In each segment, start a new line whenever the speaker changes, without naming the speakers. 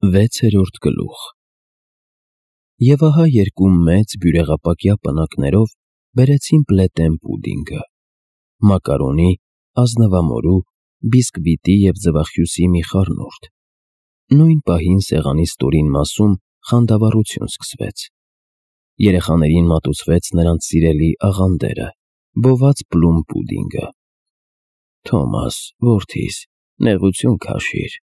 6-րդ գլուխ։ Եվ ահա երկու մեծ բյուրեղապակյա պնակներով բերեցին պլետեն պուդինգը, մակարոնի, ազնվամորու, բիսկվիտի և ձվախյուսի մի խառնուրդ։ Նույն պահին սեղանի ստորին մասում խանդավառություն սկսվեց։ Երեխաներին մատուցվեց նրանց սիրելի աղանդերը՝ բոված պլում պուդինգը։ «Թոմաս, որդիս, նեղություն քաշիր»,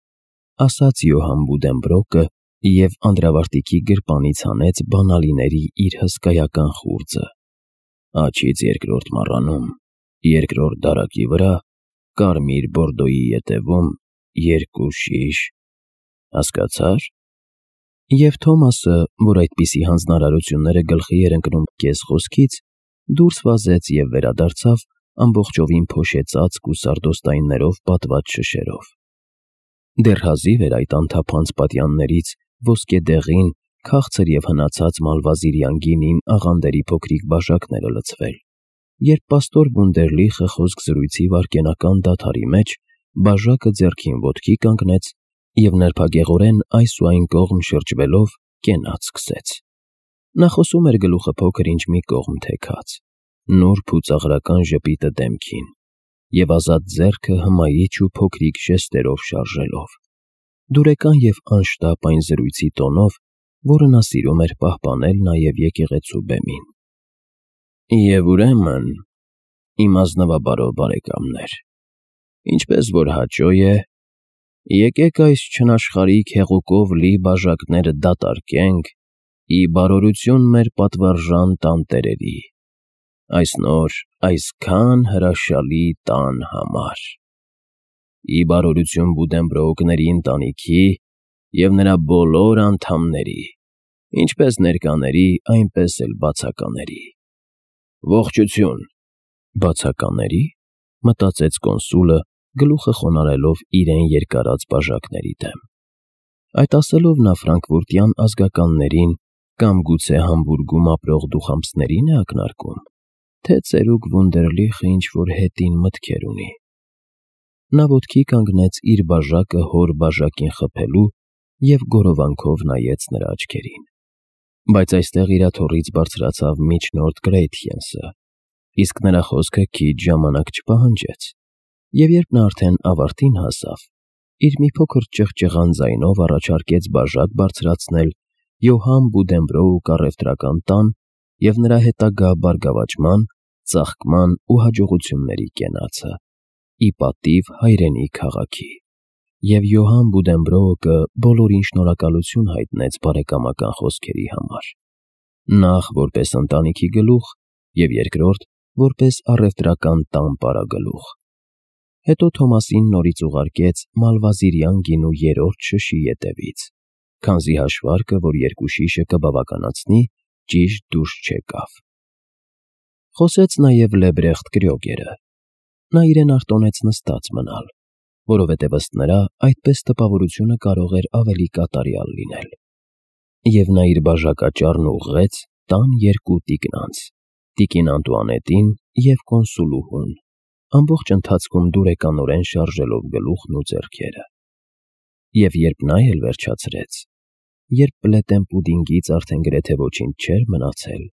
ասաց Յոհան Բուդենբրոկը և անդրավարտիքի գրպանից հանեց բանալիների իր հսկայական խուրձը։ «Աջից երկրորդ մառանում, երկրորդ դարակի վրա, կարմիր բորդոյի ետևում, 2 շիշ, հասկացա՞ր»։ Եվ Թոմասը, որ այդպիսի հանձնարարությունները գլխի էր ընկնում կես-խոսքից, դուրս վազեց և վերադարձավ ամբողջովին փոշեցածկ ու սարդոստայններով պատված շշերով։ Դեռ հազիվ էր այդ անթափանց պատյաններից ոսկեդեղին, քաղցր և հնացած մալվազիրյան գինին աղանդերի փոքրիկ բաժակները լցվել, երբ պաստոր Վունդերլիխը խոսք զրույցի վայրկենական դադարի մեջ բաժակը ձեռքին ոտքի կանգնեց և նրբագեղորեն այս ու այն կողմ շրջվելով կենաց սկսեց։ Նա խոսում էր գլուխը փոքր-ինչ մի կողմ թեքած, նուրբ ու ծաղրական ժպիտը դեմքին և ազատ ձեռքը հմայիչ ու փոքրիկ ժեստերով շարժելով, դուրեկան և անշտապ այն զրույցի տոնով, որը նա սիրում էր պահպանել նաև եկեղեցու բեմին։ «Եվ ուրեմն, իմ ազնվաբարո բարեկամներ, ինչպես որ հաճո է, եկեք այս չնաշխարհիկ հեղուկով լի բաժակները դատարկենք ի բարօրություն մեր պատվարժան տանտերերի, այս նոր, այսքան հրաշալի տան համար, ի բարօրություն Բուդենբրոկների ընտանիքի և նրա բոլոր անդամների, ինչպես ներկաների, այնպես էլ բացակաների։ Ողջույն»։ «Բացակաների՞», մտածեց կոնսուլը, գլուխը խոնարհելով իրեն երկարած բաժակների դեմ։ Այդ ասելով նա ֆրանկֆուրտյան ազգականներին կամ գուցե Համբուրգում ապրող դուխամփսների՞ն է ակնարկում, թե ծերուկ Վունդերլիխը ինչ-որ հետին մտքեր ունի։ Նա ոտքի կանգնեց իր բաժակը հոր բաժակին խփելու և գորովանքով նայեց նրա աչքերին։ Բայց այստեղ իրաթոռից բարձրացավ միջնորդ Գրեյթյենսը, իսկ նրա խոսքը քիչ ժամանակ չպահանջեց, և երբ նա արդեն ավարտին հասավ, իր մի փոքր ճղճղան ձայնով առաջարկեց բաժակ բարձրացնել Յոհան Բուդենբրոուկ առևտրական տան և նրա հետագա բարգավաճման, ծաղկման ու հաջողությունների կենացը, ի պատիվ հայրենի քաղաքի, և Յոհան Բուդենբրոուկը բոլորին շնորհակալություն հայտնեց բարեկամական խոսքերի համար, նախ որպես ընտանիքի գլուխ և երկրորդ որպես առևտրական տան պարագլուխ։ Հետո Թոմասին նորից ուղարկեց մալվազիրյան գինու 3-րդ շշի ետևից, քանզի հաշվարկը, որ 2 շիշը կբավականացնի, ճիշտ դուրս չեկավ։ Խոսեց նաև Լեբրեխտ Կրյոգերը։ Նա իրեն արտոնեց նստած մնալ, որովհետև ըստ նրա այդպես տպավորությունը կարող էր ավելի կատարյալ լինել։ Եվ նա իր բաժակաճառն ուղղեց տան 2 տիկնանց՝ տիկին Անտուանետին և կոնսուլուհուն, ամբողջ ընթացքում դուրեկանորեն շարժելով գլուխն ու ձեռքերը։ Եվ երբ նա էլ վերջացրեց, երբ պլետեն պուդինգից արդեն գրեթե ոչինչ չէր մնացել,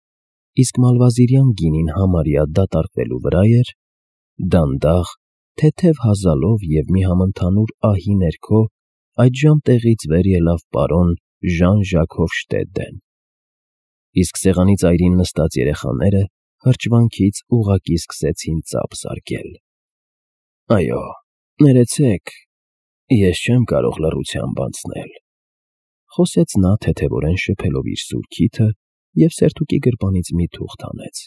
իսկ մալվազիրյան գինին համարյա դատարկվելու վրա էր, դանդաղ, թեթև հազալով և մի համընդհանուր ահի ներքո այդժամ տեղից վեր ելավ պարոն Ժան-Ժակ Հոֆշտեդեն, իսկ սեղանի ծայրին նստած երեխաները հրճվանքից ուղղակի սկսեցին ծափ զարկել։ «Այո, ներեցեք, ես չեմ կարող լռությամբ անցնել», խոսեց նա թեթևորեն շփելով իր սուր քիթը և սերտուկի գրպանից մի թուղթ հանեց։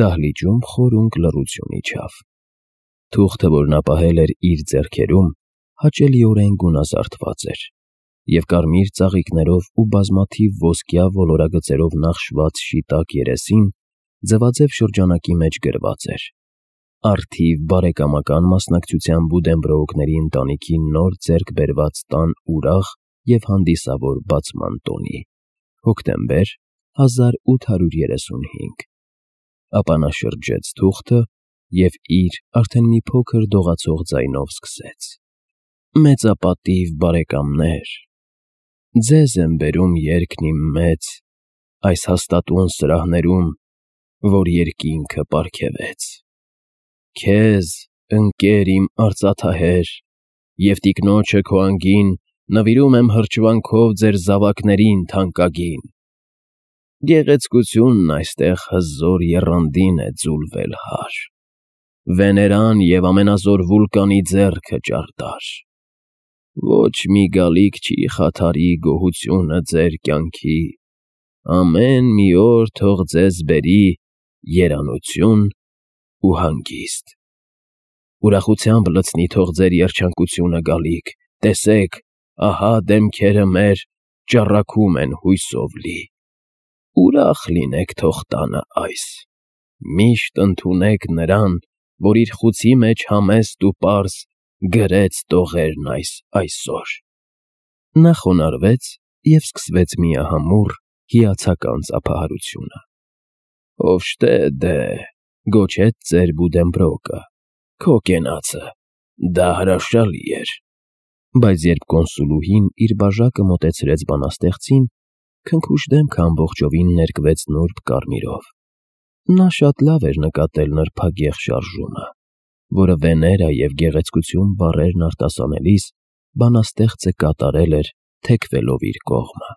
Դահլիճում խորունկ լռություն իջավ։ Թուղթը, որ նա պահել էր իր ձեռքերում, հաճելիորեն գունազարդված էր, և կարմիր ծաղիկներով ու բազմաթիվ ոսկյա ոլորագծերով նախշված շիտակ երեսին ձվաձև շրջանակի մեջ գրված էր. «Առթիվ բարեկամական մասնակցությամբ Բուդենբրոուկների ընտանիքի նոր ձեռք բերված տան ուրախ և հանդիսավոր բացման տոնի, հոկտեմբեր 1835»։ Ապա նա շրջեց թուղթը և իր արդեն մի փոքր դողացող ձայնով սկսեց. «Մեծապատիվ բարեկամներ, ձեզ եմ բերում երգն իմ մեծ, այս հաստատուն սրահներում, որ երկինքը պարգևեց։ Քեզ, ընկեր իմ արծաթահեր, և տիկնոջը քո անգին նվիրում եմ հրճվանքով ձեր զավակներին թանկագին։ Գեղեցկությունն այստեղ հզոր եռանդին է ձուլվել հար, Վեներան և ամենազոր վուլկանի ձեռքը ճարտար։ Ոչ մի գալիք չի խաթարի գոհությունը ձեր կյանքի, ամեն մի օր թող ձեզ բերի երանություն ու հանգիստ։ Ուրախությամբ լցնի թող ձեր երջանկությունը գալիք, տեսեք, ահա դեմքերը մեր ճառագում են հույսով լի։ Ուրախ լինեք թող տանը այս, միշտ ընդունեք նրան, որ իր խուցի մեջ համեստ ու պարզ գրեց տողերն այսօր։ Նա խոնարհվեց և սկսվեց միահամուռ հիացական ծափահարությունը։ «Հոֆշտեդե, ֊ գոչեց ծեր Բուդենբրոկը, ֊ քո կենացը, դա հրաշալի էր»։ Բայց երբ կոնսուլուհին իր բաժակը մոտեցրեց բանաստեղծին, քնքուշ դեմքը ամբողջովին ներկվեց նուրբ կարմիրով։ Նա շատ լավ էր նկատել նրբագեղ շարժումը, որը Վեներա և գեղեցկություն բառերն արտասանելիս բանաստեղծը կատարել էր թեքվելով իր կողմը։